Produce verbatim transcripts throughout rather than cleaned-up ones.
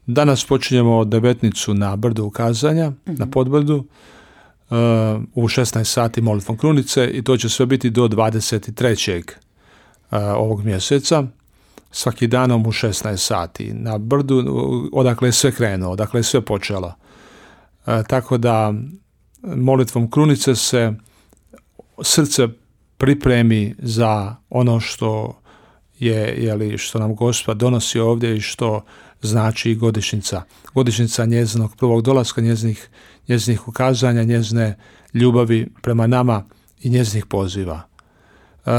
Danas počinjemo devetnicu na brdu ukazanja, mm-hmm. na podbrdu, uh, u šesnaest sati molitvom krunice i to će sve biti do dvadeset trećeg Uh, ovog mjeseca, svaki danom u šesnaest sati na brdu, odakle je sve krenuo, odakle je sve počelo. Uh, tako da molitvom krunice se srce pripremi za ono što je, jeli, što nam Gospod donosi ovdje i što znači godišnjica. Godišnjica njezinog prvog dolaska, njezinih, njezinih ukazanja, njezine ljubavi prema nama i njezinih poziva. Uh,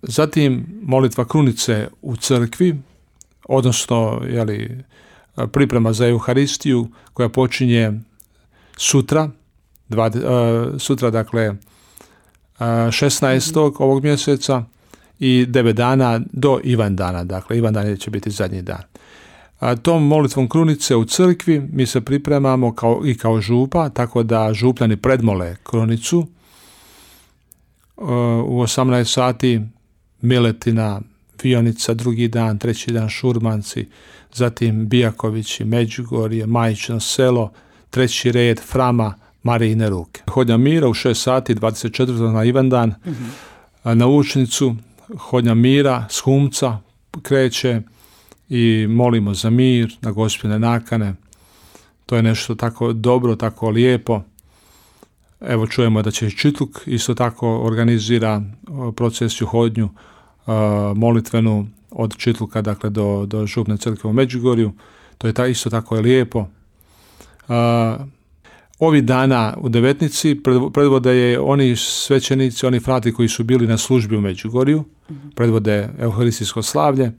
zatim molitva krunice u crkvi, odnosno jeli, priprema za Euharistiju koja počinje sutra, dva, uh, sutra dakle uh, šesnaestog ovog mjeseca i devet dana do Ivandana, dakle Ivandan će biti zadnji dan. A tom molitvom krunice u crkvi mi se pripremamo kao, i kao župa, tako da župljani predmole krunicu. U osamnaest sati Miletina, Vionica, drugi dan, treći dan Šurmanci, zatim Bijakovići, Međugorje, Majično selo, treći red, Frama, Marijine ruke. Hodnja mira u šest sati, dvadeset četvrtog na Ivandan, mm-hmm. na Učnicu, hodnja mira s Humca kreće i molimo za mir, na Gospine nakane. To je nešto tako dobro, tako lijepo. Evo čujemo da će Čitluk isto tako organizira procesiju hodnju uh, molitvenu od Čitluka dakle do, do župne crkve u Međugorju. To je ta, isto tako je lijepo. Uh, ovi dana u devetnici predvode je oni svećenici, oni frati koji su bili na službi u Međugorju, mm-hmm. predvode euharistijsko slavlje,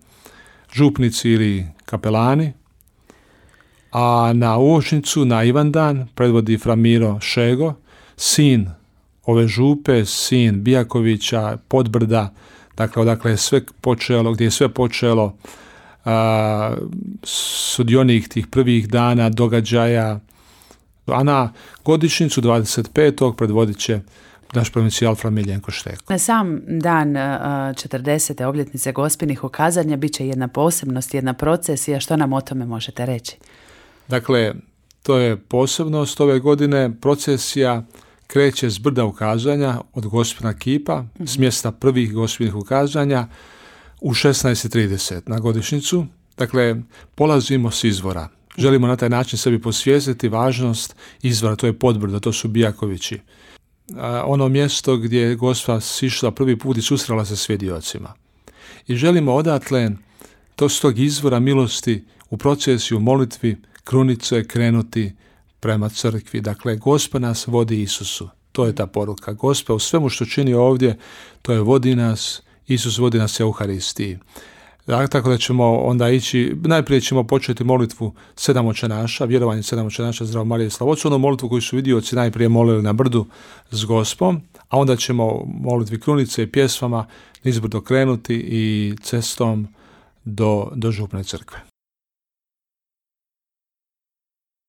župnici ili kapelani, a na Uočnicu, na Ivandan predvodi fra Miro Šego, sin ove župe, sin Bijakovića, Podbrda, dakle odakle je sve počelo, gdje je sve počelo, a, sudionik tih prvih dana, događaja, a na godišnjicu dvadeset petog predvodit će naš provincijal fra Miljenko Šteko. Na sam dan četrdesete obljetnice Gospinih ukazanja bit će jedna posebnost, jedna procesija. Što nam o tome možete reći? Dakle, to je posebnost ove godine. Procesija kreće s brda ukazanja od Gospina kipa, mm-hmm. s mjesta prvih Gospinih ukazanja u šesnaest i trideset na godišnjicu. Dakle, polazimo s izvora. Želimo na taj način sebi posvijestiti važnost izvora, to je Podbrdo, to su Bijakovići. Ono mjesto gdje je Gospa sišla prvi put i susrela se s svjedocima. I želimo odatle to s tog izvora milosti u procesiju molitvi krunice krenuti prema crkvi. Dakle, Gospa nas vodi Isusu. To je ta poruka. Gospa u svemu što čini ovdje, to je vodi nas, Isus vodi nas Euharistiji. Tako da ćemo onda ići, najprije ćemo početi molitvu sedam očenaša, vjerovanje sedam očenaša, Zdravo Marije i Slavocu, onu molitvu koju su vidioci najprije molili na brdu s Gospom, a onda ćemo molitvi krunice i pjesmama nizbrdo krenuti i cestom do, do župne crkve.